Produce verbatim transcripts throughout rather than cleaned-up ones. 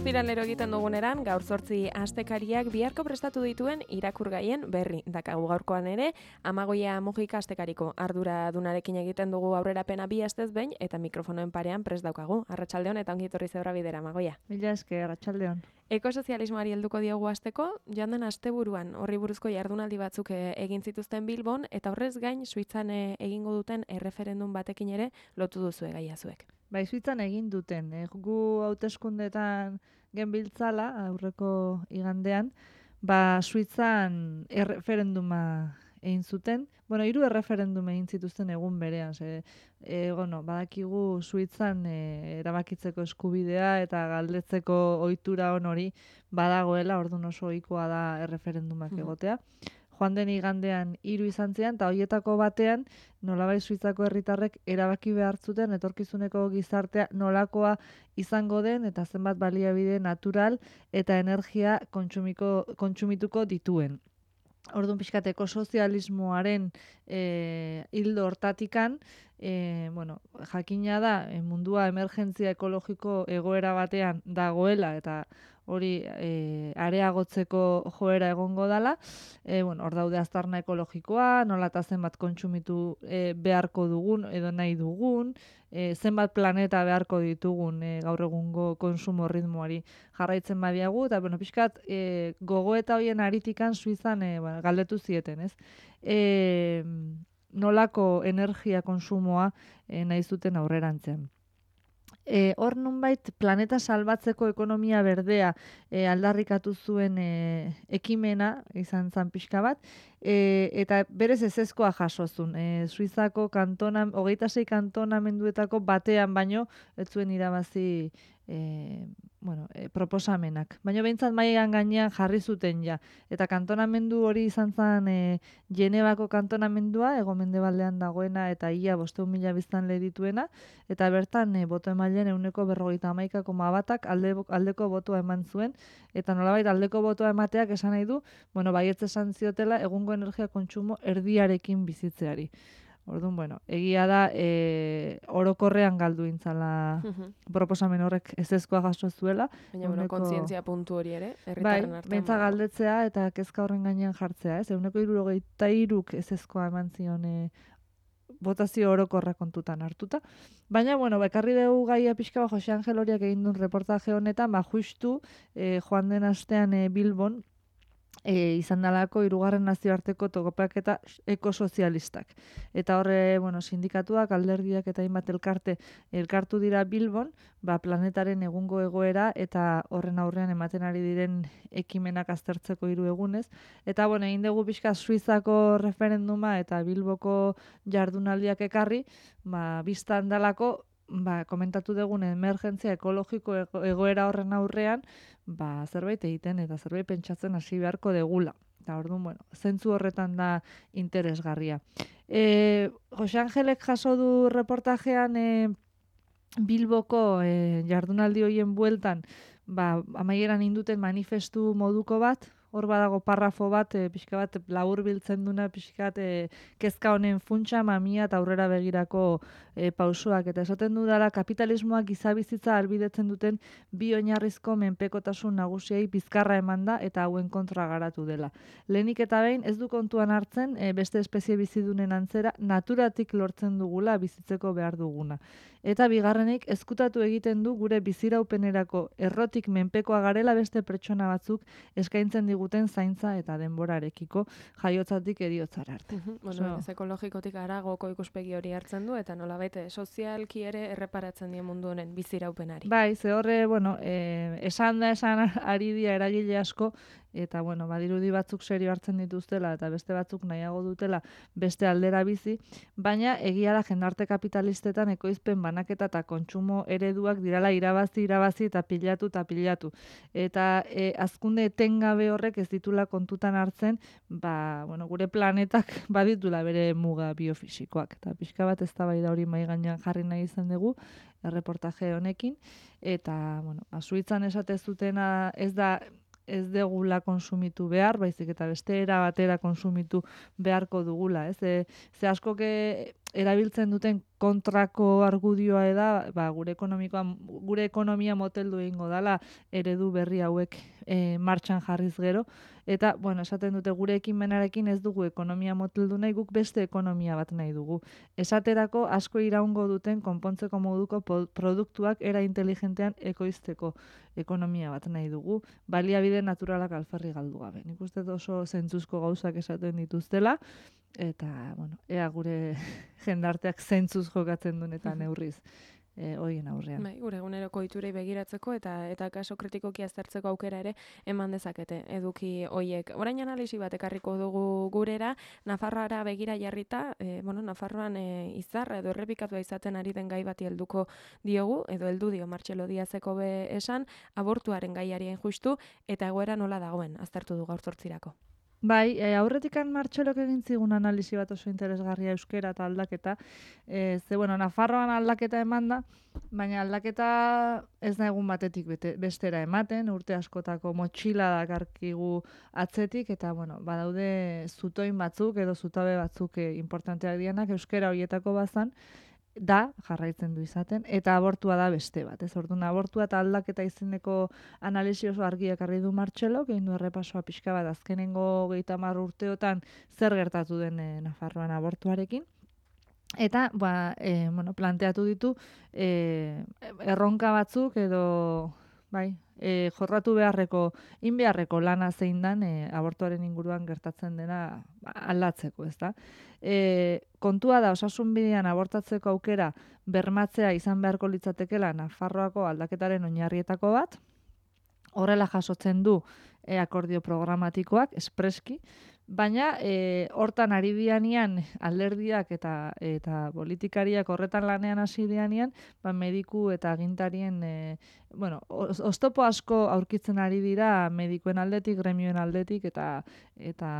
Ostiralero egiten duguneran, gaur zortzi astekariak biharko prestatu dituen irakurgaien berri. Dakagu gaurkoan ere, Amagoia Mujika astekariko ardura dunarekin egiten dugu aurrerapena bi astez behin, eta mikrofonoen parean prest daukagu. Arratsaldeon eta ongi etorri zeura bidera, Amagoia. Mila esker, arratsaldeon. Ekosozialismoari helduko diogu asteko, joan den asteburuan horri buruzko jardunaldi batzuk egin zituzten Bilbon, eta horrez gain Suitzan egingo duten erreferendum batekin ere lotu duzue gaia zuek. Bai, Suitzan egin duten, eh, gu hauteskundetan genbiltzala, aurreko igandean, ba Suitzan erreferenduma egin zuten. Bueno, hiru erreferendum egin zituzten egun berean, ze, e, bueno, badakigu Suitzan e, erabakitzeko eskubidea eta galdetzeko ohitura on hori badagoela, orduan oso ohikoa da erreferendumak egotea. Joan den igandean hiru izan ziren, eta horietako batean nolabait Suitzako herritarrek erabaki behar zuten etorkizuneko gizartea nolakoa izango den eta zenbat baliabide natural eta energia kontsumiko, kontsumituko dituen. Orduan pixkat ekosozialismoaren e, hildo hortatikan, e, bueno, jakina da e, mundua emergentzia ekologiko egoera batean dagoela eta hori e, areagotzeko joera egongo dala. E, bueno, hor daude aztarna ekologikoa, nola eta zenbat kontsumitu e, beharko dugun edo nahi dugun, e, zenbat planeta beharko ditugun e, gaur egungo konsumo ritmoari jarraitzen badiagu, eta bueno, pixkat e, gogoeta hoien aritikan Suizan e, bueno, galdetu zieten, ez? E, nolako energia konsumoa e, nahi zuten aurrerantzean. E, hor nunbait planeta salbatzeko ekonomia berdea e, aldarrikatu zuen e, ekimena izan zan pixka bat, e, eta berez ezezkoa jasozun. E, Suizako kantona, hogeita sei kantonamenduetako batean baino, ez zuen irabazi e, bueno, e, proposamenak. Baina behintzat mailan gainean jarri zuten ja. Eta kantonamendu hori izan zen e, Genebako kantonamendua, ego mendebaldean dagoena eta ia bosteun mila biztanle dituena, eta bertan e, boto emaileen ehuneko berrogeita hamaika koma batak alde, aldeko botoa eman zuen, eta nolabait aldeko botoa emateak esan nahi du, bueno, baietz esan ziotela egungo energia kontsumo erdiarekin bizitzeari. Orduan, bueno, egia da e, orokorrean galdu intzala proposamen horrek ezezkoa jaso zuela. Baina, bueno, kontzientzia puntu hori ere, bai, herritarren artean. bentsa galdetzea eta kezka horren gainean jartzea, ez? Ehuneko hirurogeita hiruk ezezkoa eman zion e, botazio orokorra kontutan hartuta. Baina, bueno, bekarri dugu gaia pixka ba, Jose Angel horiak egin duen reportaje honetan, ba, justu e, joan den astean e, Bilbon, E, izan dalako hirugarren nazioarteko topaketa ekosozialistak. Eta horre, bueno, sindikatuak, alderdiak eta hainbat elkarte elkartu dira Bilbon, ba, planetaren egungo egoera eta horren aurrean ematen ari diren ekimenak aztertzeko hiru egunez. Eta, bueno, egin dugu pixka Suizako referenduma eta Bilboko jardunaldiak ekarri, ba, biztan dalako, ba, komentatu dugun emergentzia ekologiko egoera horren aurrean, ba, zerbait egiten eta zerbait pentsatzen hasi beharko degula. Eta orduan, bueno, zentzu horretan da interesgarria. E, Jose Angelek jaso du reportajean e, Bilboko e, jardunaldi hoien bueltan, ba, amaieran induten manifestu moduko bat, hor badago parrafo bat, e, pixka bat labur biltzen duna, pixka bat e, kezka honen funtsa, mamia eta aurrera begirako e, pausoak. Eta esaten dudala, kapitalismoak gizabizitza albidetzen duten bi oinarrizko menpekotasun nagusiei bizkarra eman da eta hauen kontra garatu dela. Lehenik eta behin ez du kontuan hartzen e, beste espezie bizidunen antzera naturatik lortzen dugula bizitzeko behar duguna. Eta bigarrenik ezkutatu egiten du gure biziraupenerako errotik menpekoa garela beste pertsona batzuk eskaintzen diguten zaintza eta denborarekiko jaiotzatik eriotzara arte. Uh-huh. Bueno, ez ekologikotik aragoko ikuspegi hori hartzen du eta nolabait sozialki ere erreparatzen die mundu honen biziraupenari. Bai, ze horre, bueno, eh, esan da esan ari dira eragile asko, eta bueno, badirudi batzuk serio hartzen dituztela eta beste batzuk nahiago dutela beste aldera bizi, baina egia da jendarte kapitalistetan ekoizpen banaketa eta kontsumo ereduak dirala irabazi, irabazi eta pilatu eta pilatu. Eta e, azkunde etengabe horrek ez ditula kontutan hartzen, ba, bueno, gure planetak baditula bere muga biofisikoak. Eta pixka bat eztabaida hori mahai gainean jarri nahi izan dugu, erreportaje honekin, eta, bueno, Suitzan esate zutena ez da ez degula konsumitu behar, baizik eta beste era batera konsumitu beharko dugula, ez? E, ze asko erabiltzen duten kontrako argudioa da, ba, gure ekonomikoa, gure ekonomia moteldu egingo dala eredu berri hauek e, martxan jarriz gero, eta, bueno, esaten dute gure ekimenarekin ez dugu ekonomia moteldu nahi, guk beste ekonomia bat nahi dugu. Esaterako asko iraungo duten konpontzeko moduko produktuak era inteligentean ekoizteko ekonomia bat nahi dugu, baliabide naturalak alferri galdu gabe. Nik uste oso zentzuzko gauzak esaten dituztela, eta, bueno, ea gure jendarteak zentzuz jokatzen duen eta neurriz e, hoien aurrean. Bai, gure eguneroko ohiturei begiratzeko eta eta kaso kritikoki aztertzeko aukera ere eman dezakete eduki hoiek. Orain analisi bat ekarriko dugu gurera, Nafarroara begira jarrita, e, bueno, Nafarroan e, izarra edo errepikatua izaten ari den gai bati helduko diogu, edo heldu dio Martxelo Diazeko be esan, abortuaren gaiari justu eta egoera nola dagoen aztertu du gaur zortzirako. Bai, e, aurretikan Martxelok egin zigun analisi bat oso interesgarria euskera eta aldaketa. E, ze, bueno, Nafarroan aldaketa eman da, baina aldaketa ez da egun batetik bete, bestera ematen, urte askotako motxila dakarkigu atzetik, eta, bueno, badaude zutoin batzuk edo zutabe batzuk e, importanteak dianak euskera horietako bazan, da, jarraitzen du izaten, eta abortua da beste bat. Ez orduan, abortua eta aldaketa izeneko analisi oso argi ekarri du Martxelok, egin du errepasoa pixka bat azkenengo gehieta hamar urteotan zer gertatu den e, Nafarroan abortuarekin. Eta, ba, e, bueno, planteatu ditu e, erronka batzuk edo, bai, e, jorratu beharreko, in beharreko lana zein dan e, abortuaren inguruan gertatzen dena aldatzeko, ez da? E, kontua da, osasun bidean abortatzeko aukera bermatzea izan beharko litzatekela Nafarroako aldaketaren oinarrietako bat, horrela jasotzen du e, akordio programatikoak, espreski, baina e, hortan ari dianean alderdiak eta eta politikariak horretan lanean hasi dianean, ba, mediku eta agintarien e, bueno, oztopo asko aurkitzen ari dira medikuen aldetik, gremioen aldetik eta eta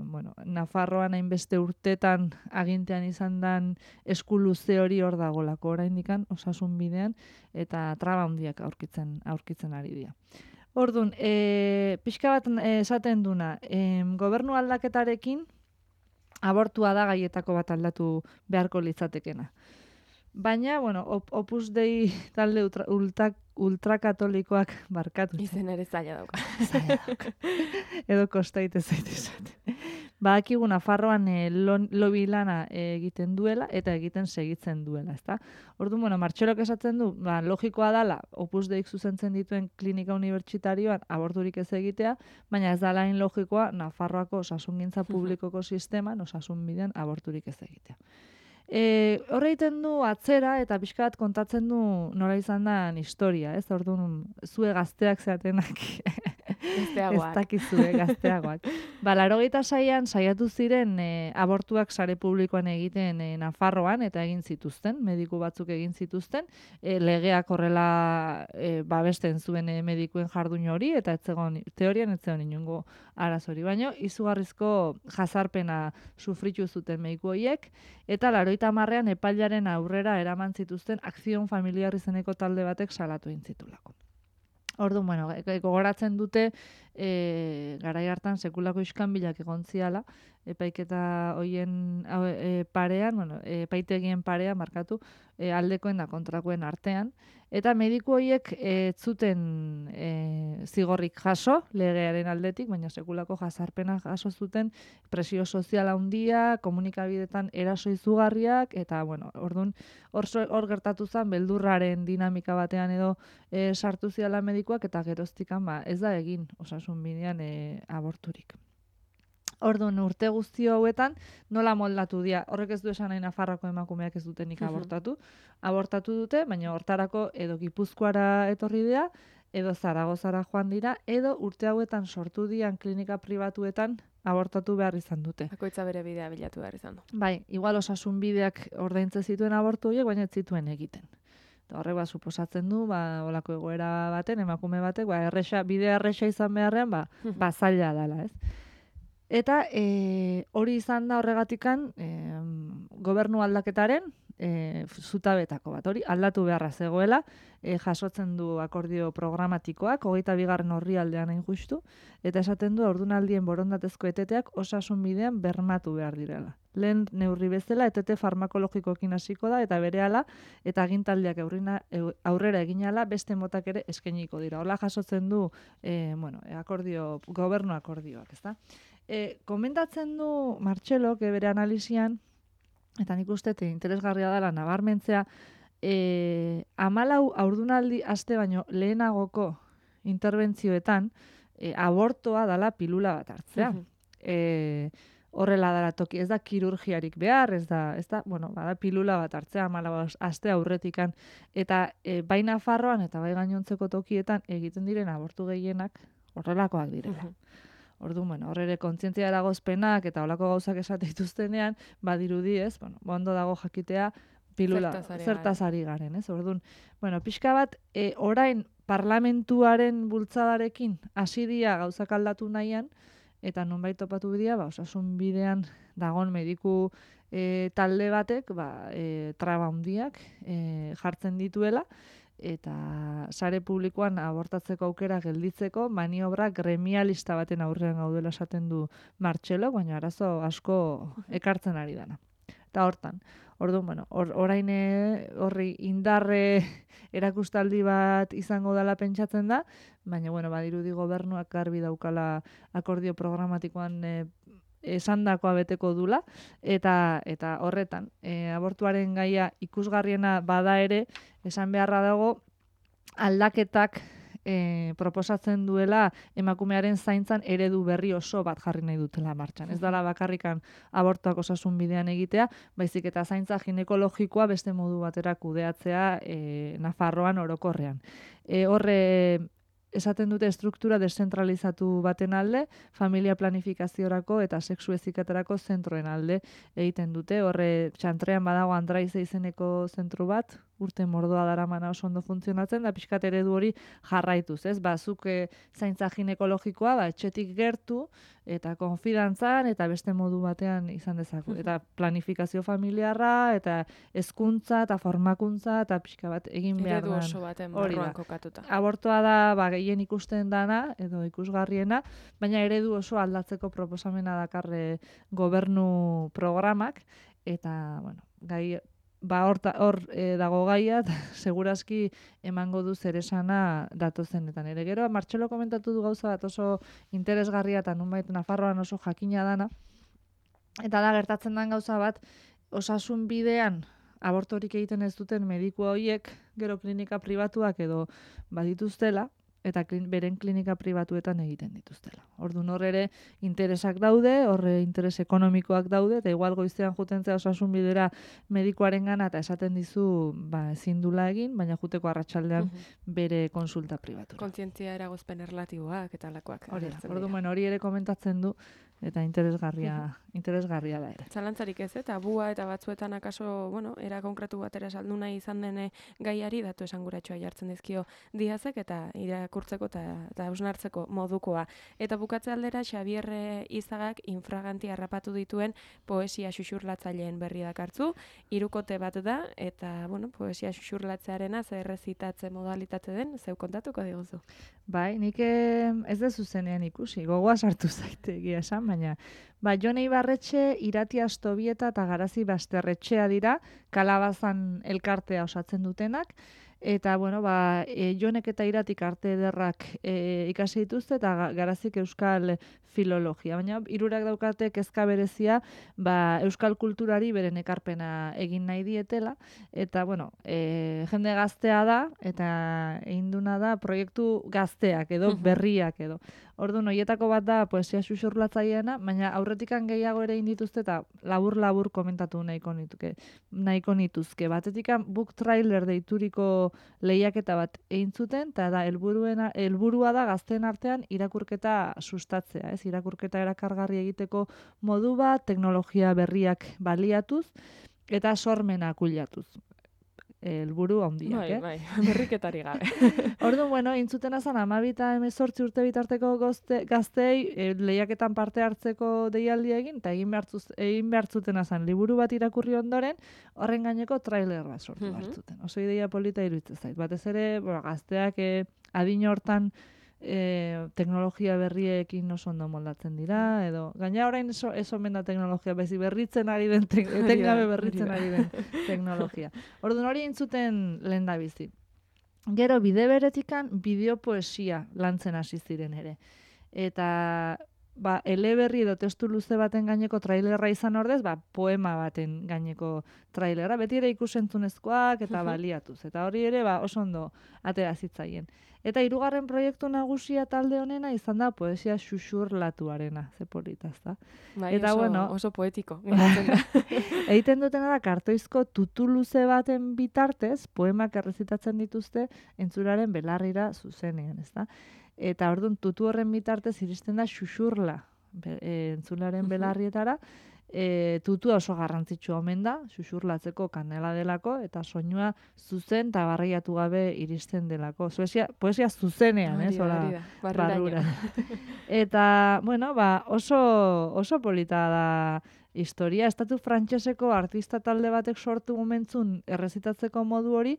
bueno, Nafarroan hainbeste urtetan agintean izan dan eskuluze hori hor dagolako oraindikan osasun bidean eta traba handiak aurkitzen aurkitzen ari dira. Orduan, e, pixka bat esaten duna, e, gobernu aldaketarekin abortua da gaietako bat aldatu beharko litzatekena. Baina, bueno, op, Opus Dei talde ultra, ultra, ultrakatolikoak barkatu. Izen ere zaila dauka. Zaila dauka. Edo kostaite zaitu esaten. Badakigu Nafarroan e, lobi lana e, egiten duela eta egiten segitzen duela, ezta? Orduan, bueno, Martxelok esatzen du, ba, logikoa dala Opus Deik zuzentzen dituen klinika unibertsitarioan aborturik ez egitea, baina ez da lain logikoa Nafarroako osasungintza publikoko sisteman osasun bidean aborturik ez egitea. E, horre egiten du atzera eta pixka bat kontatzen du nola izan da historia, ez? Orduan, zue gazteak zeatenak Gazteagoak. Ez dakizue, gazteagoak. Ba, laurogeita seian saiatu ziren e, abortuak sare publikoan egiten e, Nafarroan eta egin zituzten, mediku batzuk egin zituzten, e, legeak horrela e, babesten zuen e, medikuen jardun hori eta etzegon, teorian etzegon inungo arazori. Baino, izugarrizko jazarpena sufritu zuten mediku horiek eta laurogeita hamarrean epailaren aurrera eraman zituzten akzion familiar izeneko talde batek salatu egin zitulako. Orduan, bueno, gogoratzen dute e, garai hartan sekulako iskanbilak egon ziala, epaiketa hoien e, parean, bueno, epaitegien parean markatu, e, aldekoen da kontrakoen artean, eta mediku horiek ez zuten e, zigorrik jaso legearen aldetik, baina sekulako jazarpena jaso zuten presio soziala handia, komunikabidetan eraso izugarriak, eta, bueno, orduan, hor, hor gertatu zen beldurraren dinamika batean edo e, sartu ziala medikuak, eta geroztikan ba, ez da egin osasun bidean e, aborturik. Orduan, urte guzti hauetan nola moldatu dira. Horrek ez du esan nahi Nafarroako emakumeak ez dutenik abortatu. Abortatu dute, baina hortarako edo Gipuzkoara etorri dira, edo Zaragozara joan dira, edo urte hauetan sortu dian klinika pribatuetan abortatu behar izan dute. Bakoitza bere bidea bilatu behar izan du. Bai, igual osasun bideak ordaintze zituen abortu horiek, baina ez zituen egiten. Horrek ba, suposatzen du, ba, olako egoera baten, emakume batek, ba, erresa, bidea erresa izan beharrean, ba, ba zaila dela, ez? Eta e, hori izan da horregatikan e, gobernu aldaketaren e, zutabetako bat. Hori aldatu beharra zegoela, e, jasotzen du akordio programatikoak, hogeita bigarren orrialdean hain justu, eta esaten du haurdunaldien borondatezko eteteak osasun bidean bermatu behar direla. Lehen neurri bezala etete farmakologikoekin hasiko da eta berehala eta agintaldiak aurrina, aurrera eginala beste motak ere eskainiko dira. Hola jasotzen du e, bueno, akordio, gobernu akordioak, ezta? E, komentatzen du Martxelok bere analisian, eta nik uste interesgarria dela nabarmentzea, e, hamalau haurdunaldi aste baino lehenagoko interbentzioetan e, abortoa dala pilula bat hartzea. e, Horrela dara toki, ez da kirurgiarik behar, ez da, ez da, bueno, bada pilula bat hartzea, hamalau aste aurretikan, eta e, bai Nafarroan eta bai gainontzeko tokietan egiten diren abortu gehienak horrelakoak direla. Orduan, bueno, hor ere kontzientzia eragozpenak eta holako gauzak esate dituztenean, badirudi, ez, bueno, ondo dago jakitea pilula zertaz ari garen, ez? Orduan, bueno, pixka bat, e, orain parlamentuaren bultzadarekin hasi dira gauzak aldatu nahian, eta nonbait topatu bidea, ba, osasun bidean dagon mediku e, talde batek, ba, e, traba handiak e, jartzen dituela, eta sare publikoan abortatzeko aukera gelditzeko maniobra gremialista baten aurrean gaudela esaten du Martxelo, baina arazo asko ekartzen ari dana. Eta hortan, orduan, bueno, or, orain horri indarre erakustaldi bat izango dela pentsatzen da, baina, bueno, badirudi gobernuak garbi daukala akordio programatikoan e, esandakoa beteko dula, eta eta horretan, e, abortuaren gaia ikusgarriena bada ere, esan beharra dago, aldaketak e, proposatzen duela emakumearen zaintzan eredu berri oso bat jarri nahi dutela martxan. Ez dela bakarrikan abortuak osasun bidean egitea, baizik eta zaintza ginekologikoa beste modu batera kudeatzea e, Nafarroan orokorrean. E, horre esaten dute struktura deszentralizatu baten alde, familia planifikaziorako eta sexu heziketarako zentroen alde egiten dute. Horre txantrean badago Andraize izeneko zentru bat, urte mordoa daramana oso ondo funtzionatzen, da pixkat eredu hori jarraituz, ez? Ba, zuk e, zaintza ginekologikoa, ba, etxetik gertu, eta konfidantzan, eta beste modu batean izan dezaku. Eta planifikazio familiarra, eta hezkuntza eta formakuntza, eta pixka bat egin behar da. Eredu oso baten barruan kokatuta. Abortoa da, ba, gehien ikusten dana, edo ikusgarriena, baina eredu oso aldatzeko proposamena dakarre gobernu programak, eta, bueno, gai ba hor hor e, dago gaia, segurazki emango du zeresana datozenetan. Ere gero, Martxelo komentatu du gauza bat oso interesgarria eta nonbait Nafarroan oso jakina dana, eta da gertatzen den gauza bat, osasun bidean abortorik egiten ez duten mediku horiek, gero klinika pribatuak edo badituztela, eta klin, beren klinika pribatuetan egiten dituztela. Orduan hor ere interesak daude, horre interes ekonomikoak daude, eta igual goizean jutentzea osasun bidera medikuaren gana, eta esaten dizu ba, ezin dula egin, baina juteko arratsaldean uh -huh. bere konsulta pribatu. Kontzientzia eragozpen erlatiboak eta alakoak. Orduan hori ere komentatzen du, eta interesgarria, uh -huh. interesgarria da ere. Zalantzarik ez, eta bua eta batzuetan akaso, bueno, era konkretu batera saldu nahi izan dene gaiari, datu esanguratxoa jartzen dizkio diazek, eta irakurtzeko eta, eta hausnartzeko modukoa. Eta bukatze aldera, Xabier Izagak infraganti harrapatu dituen poesia xuxurlatzaileen berri dakartzu, hirukote bat da, eta, bueno, poesia xuxurlatzearena zer errezitatze modalitate den, zeu kontatuko diguzu. Bai, nik ez da zuzenean ikusi, gogoa sartu zaite egia esan, baina ba, Jon Eibarretxe, Irati Astobieta eta Garazi Basterretxea dira, Kalabazan elkartea osatzen dutenak, eta, bueno, ba, e, Jonek eta Iratik arte ederrak e, ikasi dituzte, eta Garazik euskal filologia. Baina, hirurak daukate kezka berezia, ba, euskal kulturari beren ekarpena egin nahi dietela, eta, bueno, e, jende gaztea da, eta egin duna da proiektu gazteak edo, berriak edo. Orduan, horietako bat da poesia xuxurlatzaileena, baina aurretikan gehiago ere egin dituzte, eta labur-labur komentatu nahiko nituke, nahiko nituzke. Batetikan book trailer deituriko lehiaketa bat egin zuten, eta da, helburuena, helburua da gazteen artean irakurketa sustatzea, ez? Irakurketa erakargarri egiteko modu bat, teknologia berriak baliatuz, eta sormena kuliatuz. helburu handiak, bai, eh? Bai, berriketari gabe. Orduan, bueno, intzuten azan amabita hemezortzi urte bitarteko gozte, gaztei e, lehiaketan parte hartzeko deialdia egin, eta egin behartzuz, egin behartzuten azan liburu bat irakurri ondoren, horren gaineko trailer bat sortu Mhm. behartzuten. Oso ideia polita iruditzen zait. Batez ere, bueno, gazteak e, adin hortan e, teknologia berriekin oso ondo moldatzen dira, edo gaina orain eso, ez omen da teknologia, bezi berritzen ari den, te, Hori da, etengabe hori berritzen da. ari den teknologia. Orduan hori intzuten lehen da bizi. Gero bide beretikan bideopoesia lantzen hasi ziren ere. Eta ba, eleberri edo testu luze baten gaineko trailerra izan ordez, ba, poema baten gaineko trailerra, beti ere ikusentzunezkoak eta Mhm. baliatuz. Eta hori ere ba, oso ondo atera zitzaien. Eta hirugarren proiektu nagusia talde honena izan da poesia xuxurlatuarena, ze polita, ezta? Bai, Eta oso, bueno, oso poetiko. geratzen da. egiten dutena da kartoizko tutu luze baten bitartez poemak errezitatzen dituzte entzularen belarrira zuzenean, ezta? Eta orduan tutu horren bitartez iristen da xuxurla be, e, entzularen Mhm. belarrietara. E, tutua oso garrantzitsua omen da, xuxurlatzeko kanela delako, eta soinua zuzen eta barreiatu gabe iristen delako. Poesia, poesia zuzenean, Hori ez? da, Hola, hori da, barruraino. barrura. Eta, bueno, ba, oso, oso polita da historia. Estatu frantseseko artista talde batek sortu momentzun errezitatzeko modu hori,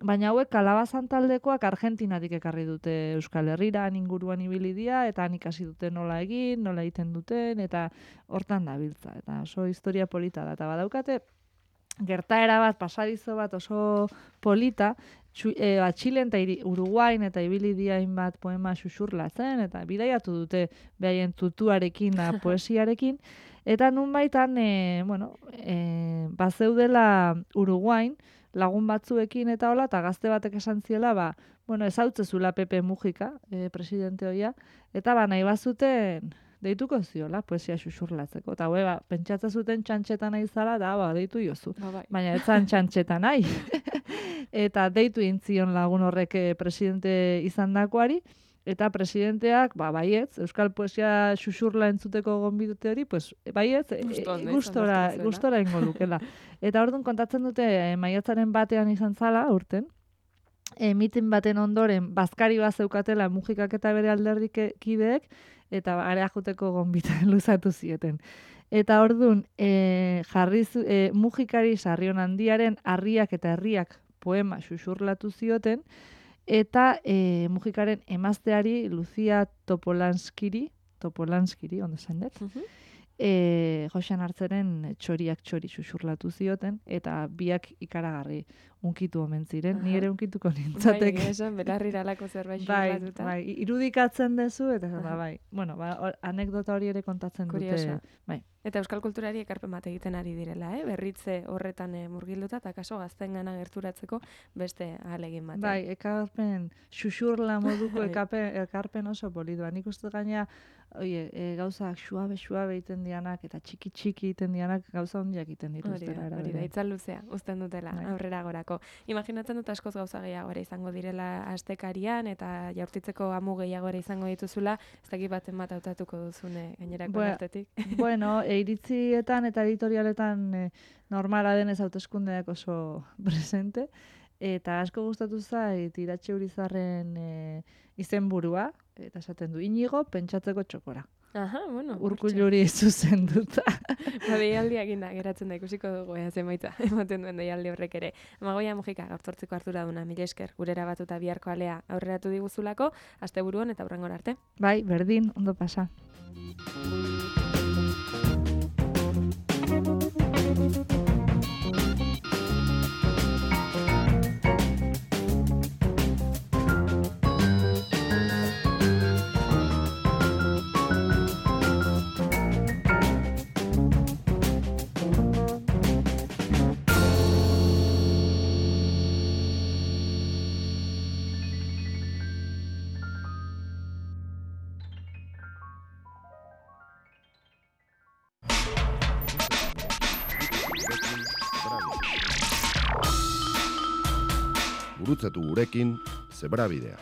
baina hauek kalabazan taldekoak Argentinatik ekarri dute Euskal Herrira, han inguruan ibili dira, eta han ikasi dute nola egin, nola egiten duten, eta hortan dabiltza. Eta oso historia polita da. Eta badaukate, gertaera bat, pasadizo bat oso polita, txu, e, ba, Txilen eta iri- Uruguain eta ibili dira hainbat poema xuxurlatzen, eta bidaiatu dute behaien tutuarekin da poesiarekin, eta nunbaitan, e, bueno, e, bazeudela Uruguain, lagun batzuekin eta hola, eta gazte batek esan ziela, ba, bueno, ezautzezula Pepe Mujika, e, presidente hoia, eta ba, nahi bazuten deituko ziola, poesia xuxurlatzeko. Eta hue, ba, pentsatzen zuten txantxetan nahi zala, da, ba, deitu jozu. Ba, bai. Baina ez zan txantxetan nahi. Eta deitu intzion lagun horrek eh, presidente izandakoari, eta presidenteak, ba, baietz, euskal poesia xuxurla entzuteko gonbidute hori, pues, baietz, e, Gusto ondo izan gustora, beharko zuela. gustora ingo lukela. Eta orduan kontatzen dute e, maiatzaren batean izan zala, urten, e, mitin baten ondoren, bazkari bat zeukatela Mujikak eta bere alderdik kideek, eta area joteko gonbita luzatu zieten. Eta orduan, e, jarri zu, e, Mujikari Sarrion Handiaren harriak eta herriak poema xuxurlatu zioten, eta e, Mujikaren emazteari Lucia Topolanskiri, Topolanskiri, ondo zain dut, Mhm. e, Joxan Hartzeren txoriak txori xuxurlatu zioten, eta biak ikaragarri unkitu omen ziren, ni Aha. ere unkituko Bai, nintzatek. egia esan, belarrira alako zerbait Bai, xuxurlatuta. bai, irudikatzen dezu, eta Aha. ba, bai. Bueno, ba, hor- anekdota hori ere kontatzen Kuriosoa. dute. Bai. Eta euskal kulturari ekarpen bat egiten ari direla, eh? Berritze horretan eh, murgilduta, eta kaso gaztengana gerturatzeko beste ahalegin bat. Bai, ekarpen, xuxurla moduko Bai. ekapen, ekarpen oso polidua. Nik uste gaina, oie, e, gauzak suabe, suabe egiten dianak, eta txiki, txiki egiten dianak, gauza hondiak egiten Hori dituztela. da, era hori da, berean. itzal luzea, uzten dutela, Bai. aurrera gorako. Imaginatzen dut askoz gauza gehiago ere izango direla astekarian, eta jaurtitzeko amu gehiago ere izango dituzula, ez dakit baten bat hautatuko duzune gainerako Bue- artetik. Bueno, e, iritzietan eta editorialetan e, normala denez hauteskundeak oso presente, eta asko gustatu zait Iratxe Urizarren e, izenburua, eta esaten du, Inigo pentsatzeko txokora. Aha, bueno. Urkulluri zuzenduta. Ba, deialdia eginda, geratzen da, ikusiko dugu, ea zenbaita, ematen duen deialdi horrek ere. Amagoia Mujika, gaurtzortziko hartura duna, mila esker, gurera batuta biharko alea aurreratu diguzulako, asteburuan eta hurrengora arte. Bai, berdin, ondo pasa. Gurutzatu gurekin, Zebrabidea.